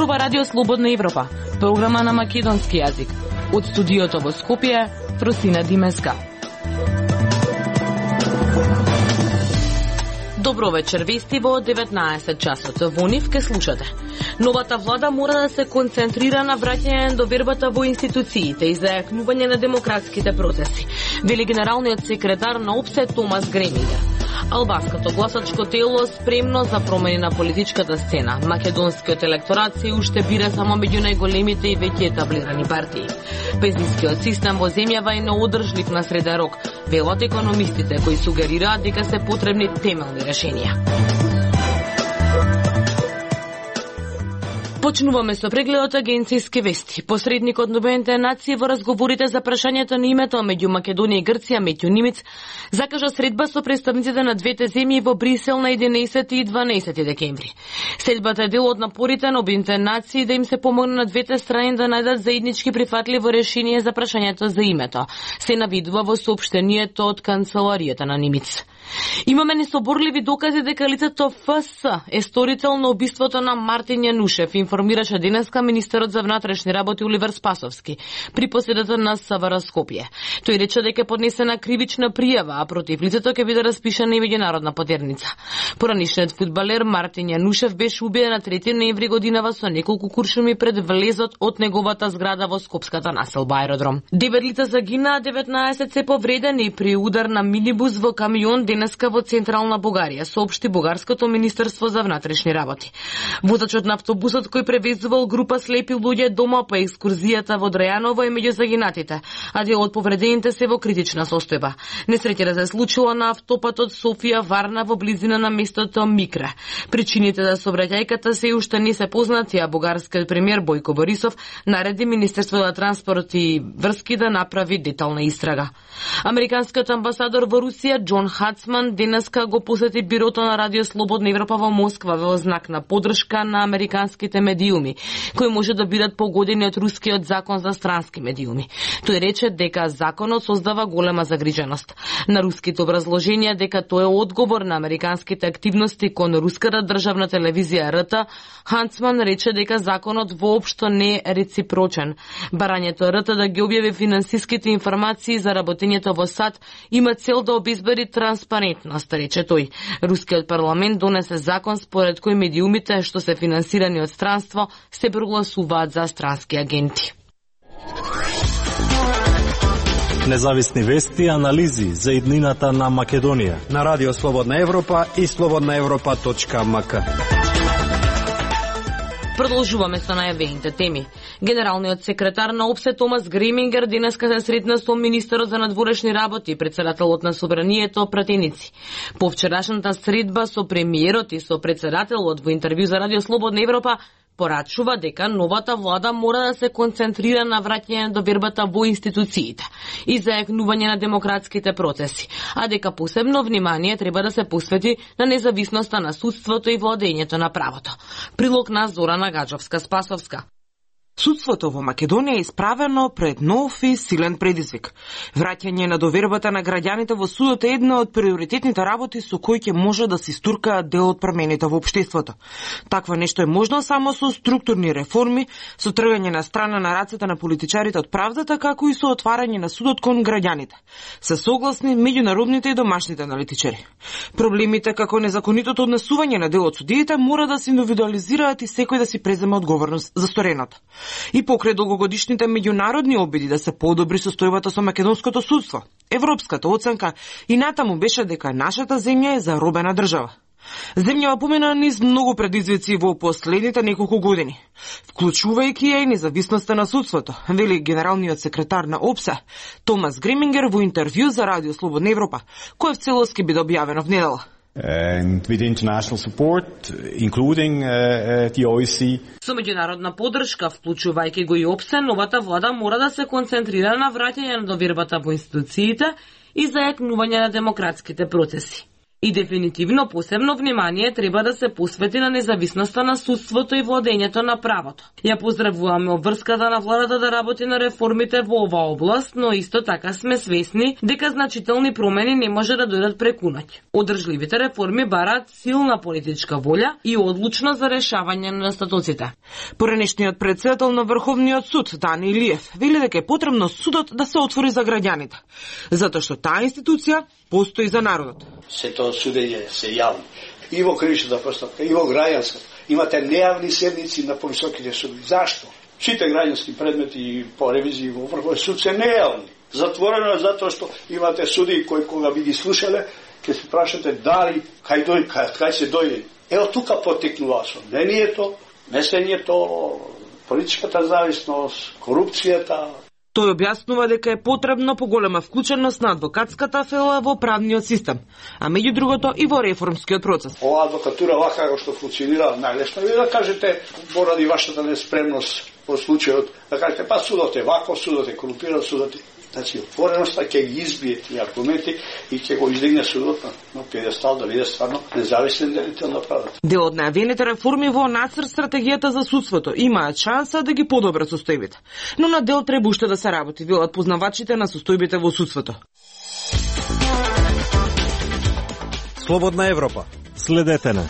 зборува Радио Слободна Европа, програма на македонски јазик. Од студиото во Скопје, Фросина Димеска. Добро вечер, вести во 19 часот. Во нив ке слушате. Новата влада мора да се концентрира на враќање на довербата во институциите и зајакнување на демократските процеси, вели генералниот секретар на ОПСЕ Томас Гремингер. Албанското гласачко тело спремно за промени на политичката сцена. Македонскиот електорат се уште бира само меѓу најголемите и веќе етаблирани партии. Пензискиот систем во земјава е неодржлив на среден рок, велат економистите кои сугерираат дека се потребни темелни решенија. Почнуваме со прегледот агенцијски вести. Посредникот на Обединетите нации во разговорите за прашањето на името меѓу Македонија и Грција, Метју Нимиц, закажа средба со представниците на двете земји во Брисел на 11 и 12 декември. Средбата е дел од напорите на Обединетите нации да им се помогне на двете страни да најдат заеднички прифатливо решение за прашањето за името, се навидува во соопштението од канцеларијата на Нимиц. Имаме несоборливи докази дека лицето ФС е сторител на убиството на Мартин Јанушев, информираше денеска министерот за внатрешни работи Оливер Спасовски при поседата на СВР Скопје. Тој рече дека е поднесена кривична пријава, а против лицето ќе биде распишана и меѓународна потерница. Поранишниот фудбалер Мартин Јанушев беше убиен на 3 ноември годинава со неколку куршуми пред влезот од неговата зграда во скопската населба аеродром. 9 лица загинаа, 19 се повредени при удар на минибус во камион денеска во централна Бугарија, соопшти Бугарското министерство за внатрешни работи. Возачот на автобусот кој превезувал група слепи луѓе дома по екскурзијата во Драјаново е меѓу загинатите, а дел од повредените се во критична состојба. Несреќата се случила на автопатот Софија-Варна во близина на местото Микре. Причините за сообраќајката се уште не се познати, а бугарскиот премиер Бојко Борисов нареди Министерството за транспорт и врски да направи детална истрага. Американскиот амбасадор во Русија Џон Хацман денеска го посети бирото на Радио Слободна Европа во Москва во знак на поддршка на американските медиуми, кои може да бидат погодени од рускиот закон за странски медиуми. Тој рече дека законот создава голема загриженост. На руските образложенија дека тоа е одговор на американските активности кон руската државна телевизија РТ, Хацман рече дека законот воопшто не е реципрочен. Барањето РТ да ги објави финансиските информации за работењето во САД има цел да обезбеди транспарентност, рече тој. Рускиот парламент донесе закон според кој медиумите што се финансирани од странство се прогласуваат за странски агенти. Независни вести и анализи за иднината на Македонија на Радио Слободна Европа и slobodnaevropa.mk. Продолжуваме со најавените теми. Генералниот секретар на ОПСЕ Томас Гремингер денеска се сретна со министерот за надворешни работи и председателот на собранието пратеници. По вчерашната средба со премиерот и со председателот во интервју за Радио Слободна Европа порачува дека новата влада мора да се концентрира на враќање на довербата во институциите и зајакнување на демократските процеси, а дека посебно внимание треба да се посвети на независноста на судството и владењето на правото. Прилог на Зорана Гаджовска-Спасовска. Судството во Македонија е исправено пред нов и силен предизвик. Враќање на довербата на граѓаните во судот е една од приоритетните работи со кои ќе може да се истуркаат дел од промените во општеството. Такво нешто е можно само со структурни реформи, со тргање на страна на рацете на политичарите од правдата, како и со отварање на судот кон граѓаните. Се согласни меѓународните и домашните аналитичари. Проблемите како незаконитото однесување на дел од судиите мора да се индивидуализираат и секој да си преземе одговорност за стореното. И покрај долгогодишните меѓународни обиди да се подобри состојбата со македонското судство, европската оценка и натаму беше дека нашата земја е заробена држава. Земјава помина низ многу предизвици во последните неколку години, вклучувајќи ја и независноста на судството, вели генералниот секретар на ОПСЕ Томас Гремингер во интервју за Радио Слободна Европа, кој в целост ќе биде објавено в недела. And with international support, including the OSCE. Со меѓународна поддршка, вклучувајќи го и ОПСЕ, новата влада мора да се концентрира на враќање на довербата во институциите и зајакнување на демократските процеси. И дефинитивно посебно внимание треба да се посвети на независноста на судството и владењето на правото. Ја поздравуваме обврската на владата да работи на реформите во оваа област, но исто така сме свесни дека значителни промени не може да дојдат преку ноќ. Одржливите реформи бараат силна политичка волја и одлучност за решавање на недостатоците. Поранешниот председател на Врховниот суд, Дани Илиев, вели дека е потребно судот да се отвори за граѓаните, затоа што таа институција постои за народот. Сето судење се јавно. И во кривичната постапка, и во граѓанска. Имате нејавни седници на повисоките судови. Зашто? Сите граѓански предмети по ревизии во Врховниот суд се нејавни. Затворено е затоа што имате суди кои кога би ги слушале, ќе се прашате дали кај се дојде. Ево тука потекнува сомнението, месењето, политичката зависност, корупцијата. Тој објаснува дека е потребно поголема вклученост на адвокатската фела во правниот систем, а меѓу другото и во реформскиот процес. Ова адвокатура вака како што функционира најлесно е да кажете поради вашата неспремност во случајот, да кажете па судот е вако, судот е корумпиран, судот е. Значи, отвореноста ќе ги избие тие аргументи и ќе го издигне судот на пиедестал да биде стварно независен делител на правото. Дел од најавените реформи во нацрт стратегијата за судството имаат шанса да ги подобрат состојбите, но на дел треба уште да се работи, велат познавачите на состојбите во судството. Слободна Европа. Следете на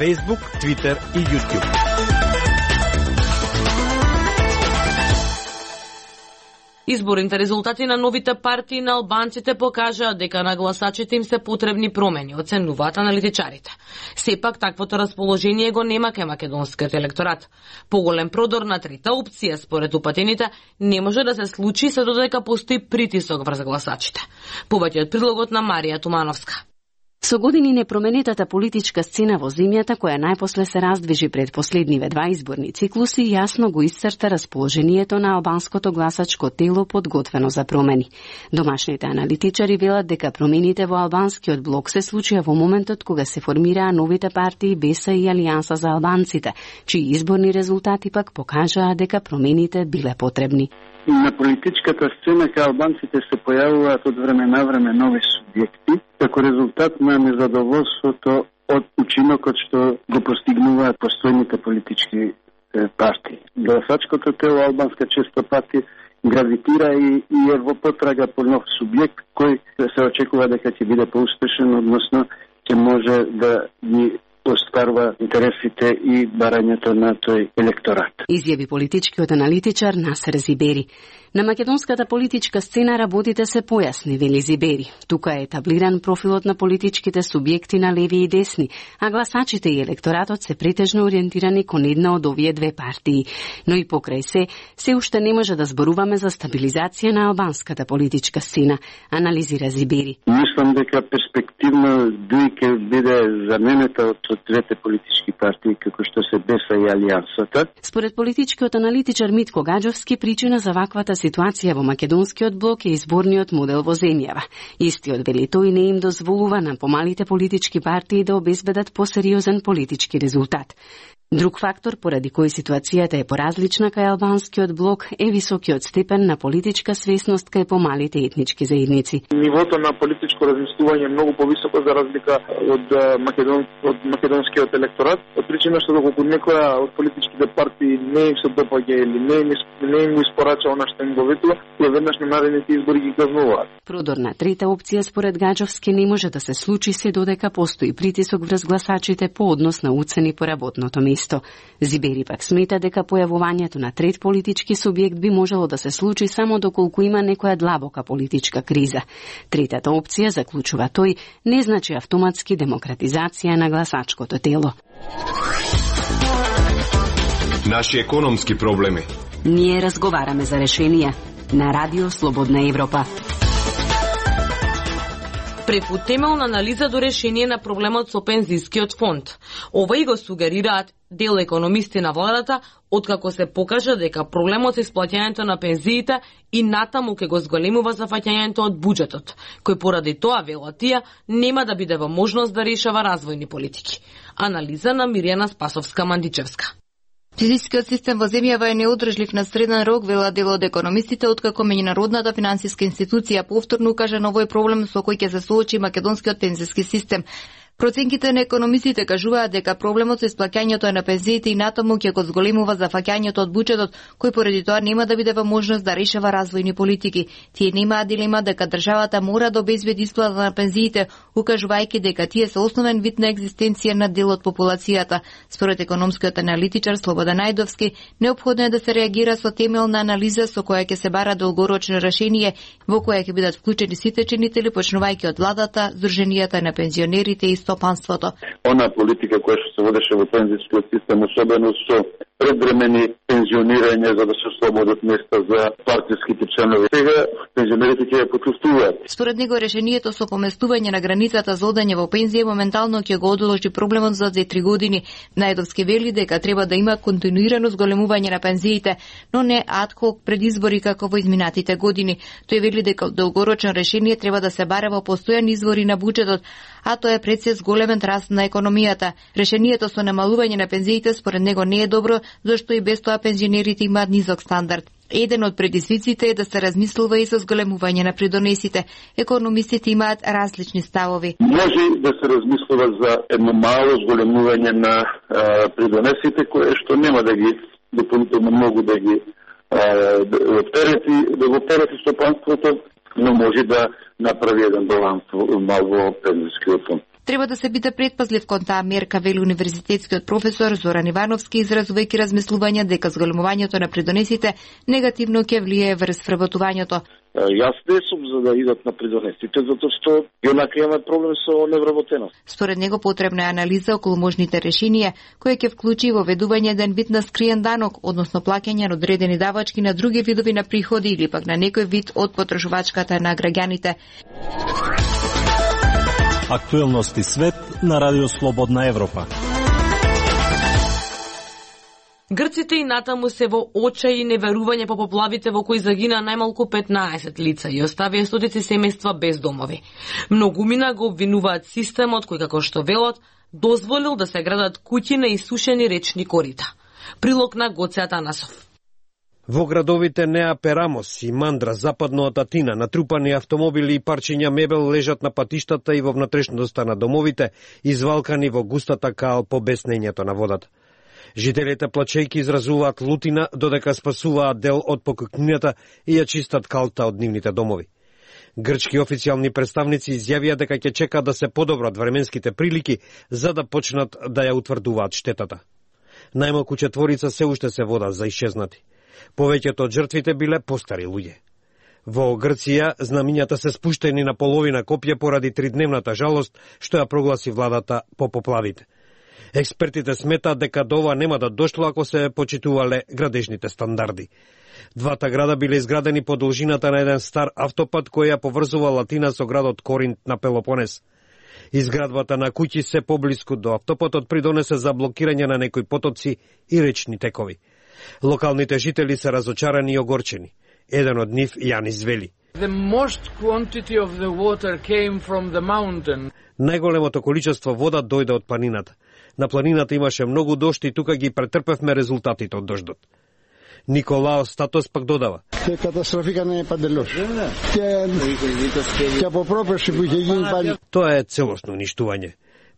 Facebook, Twitter и YouTube. Изборните резултати на новите партии на албанците покажаат дека на гласачите им се потребни промени, оценуваат аналитичарите. Сепак таквото расположение го нема кај македонскиот електорат. Поголем продор на трета опција според упатените не може да се случи се додека постои притисок врз гласачите. Повеќе од прилогот на Марија Тумановска. Со години непроменетата политичка сцена во земјата, која најпосле се раздвижи пред последниве два изборни циклуси, јасно го исцрта расположението на албанското гласачко тело подготвено за промени. Домашните аналитичари велат дека промените во албанскиот блок се случија во моментот кога се формираа новите партии БЕСА и Алијанса за албанците, чии изборни резултати пак покажаа дека промените биле потребни. На политичката сцена кај албанците се појавуваат од време на време нови субјекти, како резултат на незадоволството од учинокот што го постигнуваат постојните политички партии. Гласачкото тело албанска често пати гравитира и е во потрага по нов субјект кој се очекува дека ќе биде поуспешен, односно ќе може да ги остварува интересите и барањето на тој електорат. Изјави политичкиот аналитичар Насер Зибери. На македонската политичка сцена работите се појасни, вели Зибери. Тука е етаблиран профилот на политичките субјекти на леви и десни, а гласачите и електоратот се претежно ориентирани кон една од овие две партии. Но и покрај се уште не може да зборуваме за стабилизација на албанската политичка сцена, анализира Зибери. Мислам дека перспективно дуи ќе биде заменета од двете политички партии, како што се БЕСА и Алијансата. Според политичкиот аналитичар Митко Гаджовски, причина за ваквата ситуација во македонскиот блок е изборниот модел во земјава. Истиот, вели тој, не им дозволува на помалите политички партии да обезбедат посериозен политички резултат. Друг фактор поради кој ситуацијата е поразлична кај албанскиот блок е високиот степен на политичка свесност кај помалите етнички заедници. Нивото на политичко размислување е многу повисоко за разлика од македонскиот електорат, од причина што доколку некоја од политичките партии не им се допаѓа или не им испорача она што им го ветува, и веднаш на наредните избори ги казнуваат. Продор на трета опција според Гаджовски не може да се случи се додека постои притисок врз гласачите по однос на уцени по работното место. Зибери пак смета дека појавувањето на трет политички субјект би можело да се случи само доколку има некоја длабока политичка криза. Третата опција, заклучува тој, не значи автоматски демократизација на гласачкото тело. Наши економски проблеми. Ние разговараме за решенија на Радио Слободна Европа. Преку темелна анализа до решение на проблемот со пензискиот фонд. Ова и го сугерираат дел економисти на владата, откако се покажа дека проблемот со исплаќањето на пензиите и натаму ќе го зголемува зафаќањето од буџетот, кој поради тоа, велат тие, нема да биде во можност да решава развојни политики. Анализа на Мирјана Спасовска-Мандичевска. Физичкиот систем во земјава е неодржлив на среден рок, вела дел од економистите, откако меѓународната финансиска институција повторно укажа на овој проблем со кој ќе се соочи македонскиот пензиски систем. Проценките на економистите кажуваат дека проблемот со исплаќањето на пензиите и натаму ќе го зголемува зафаќањето од буџетот, кој поради тоа нема да биде во можност да решава развојни политики. Тие немаат дилема дека државата мора да обезбеди исплата на пензиите, укажувајќи дека тие се основен вид на екзистенција на дел од популацијата. Според економскиот аналитичар Слободан Најдовски, неопходно е да се реагира со темелна анализа со која ќе се бара долгорочно решение, во која ќе бидат вклучени сите чинители, почнувајќи од владата, здруженијата на пензионерите и стопанството. Она политика која што се водеше во пензискиот систем, особено со предвремени пензионирање за да се ослободат места за партиските членови. Сега пензионерите ќе ја почувствуваат. Според него решението со поместување на границата за одење во пензија моментално ќе го одложи проблемот за 2-3 години. Најдовски вели дека треба да има континуирано зголемување на пензиите, но не адхок пред избори како во изминатите години. Тој вели дека долгорочно решение треба да се баре во постојани извори на буџетот, а тоа е пред големен раст на економијата. Решението со намалување на пензиите според него не е добро, зашто и без тоа пензионерите имаат низок стандард. Еден од предизвиците е да се размислува и со зголемување на придонесите. Економистите имаат различни ставови. Може да се размислува за едно мало зголемување на придонесите, кое што нема да ги дополнително многу да ги оптерети стопанството, но може да направи еден баланс во пензискиот фонд. Треба да се биде предпазлив кон таа мерка, вели универзитетскиот професор Зоран Ивановски, изразувајќи размислување дека зголемувањето на придонесите негативно ќе влие врз вработувањето. Јас не сум за да идат на придонесите, затоа што јонака имаме проблем со невработеност. Според него потребна е анализа околу можните решенија, која ќе вклучи воведување еден вид на скриен данок, односно плаќање на одредени давачки на други видови на приходи или пак на некој вид од потрошувачката на граѓаните. Актуелности свет на Радио Слободна Европа. Грците и натаму се во очај и неверување по поплавите во кои загина најмалку 15 лица и оставија стотици семејства без домови. Многумина го обвинуваат системот кој, како што велат, дозволил да се градат куќи на исушени речни корита. Прилог на Гоце Атанасов. Во градовите Неа Перамос и Мандра, западно од Атина, натрупани автомобили и парчиња мебел лежат на патиштата и во внатрешноста на домовите, извалкани во густата кал по беснењето на водата. Жителите плачејки изразуваат лутина додека спасуваат дел од покукнината и ја чистат калта од нивните домови. Грчки официјални представници изјавија дека ќе чекаат да се подобрат временските прилики за да почнат да ја утврдуваат штетата. Најмалку 4 се уште се водат за исчезнати. Повеќето од жртвите биле постари луѓе. Во Грција знамињата се спуштени на половина копје поради 3-дневната жалост што ја прогласи владата по поплавите. Експертите сметаат дека до ова нема да дошло ако се почитувале градежните стандарди. Двата града биле изградени по должината на еден стар автопат кој ја поврзува Латина со градот Коринт на Пелопонес. Изградбата на куќи се поблиску до автопатот придонесе за блокирање на некои потоци и речни текови. Локалните жители се разочарани и огорчени. Еден од нив Јанис вели: Најголемото количество вода дојде од планината. На планината имаше многу дожд и тука ги претрпевме резултатите од дождот. Николао Статос пак додава: Тоа е целосно уништување.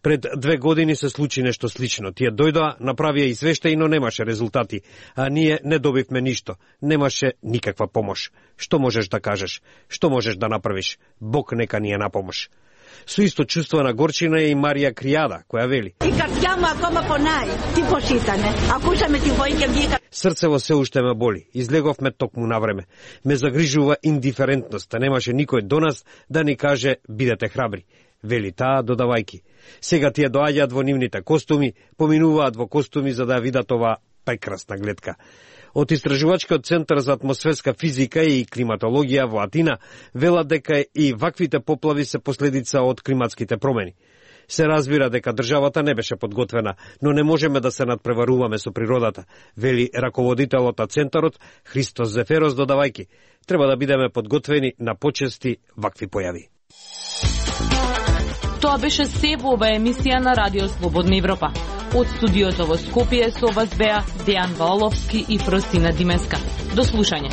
Пред 2 години се случи нешто слично. Тие дојдоа, направија извештај, но немаше резултати, а ние не добивме ништо. Немаше никаква помош. Што можеш да кажеш? Што можеш да направиш? Бог нека ни е на помош. Со исто чувство на горчина е и Марија Кријада, која вели: Срцево се уште ме боли. Излеговме токму на време. Ме загрижува индиферентноста. Немаше никој до нас да ни каже бидете храбри. Вели таа додавајки: Сега тие доаѓаат во нивните костуми, поминуваат во костуми за да видат ова прекрасна гледка. Од Истражувачкиот центар за атмосферска физика и климатологија во Атина велат дека и ваквите поплави се последица од климатските промени. Се разбира дека државата не беше подготвена, но не можеме да се надпреваруваме со природата, вели раководителот на центарот Христос Зеферос додавајки: Треба да бидеме подготвени на почести вакви појави. Тоа беше се во оваа емисија на Радио Слободна Европа. Од студиото во Скопје со вас беа Дејан Ваоловски и Фростина Димеска. До слушање.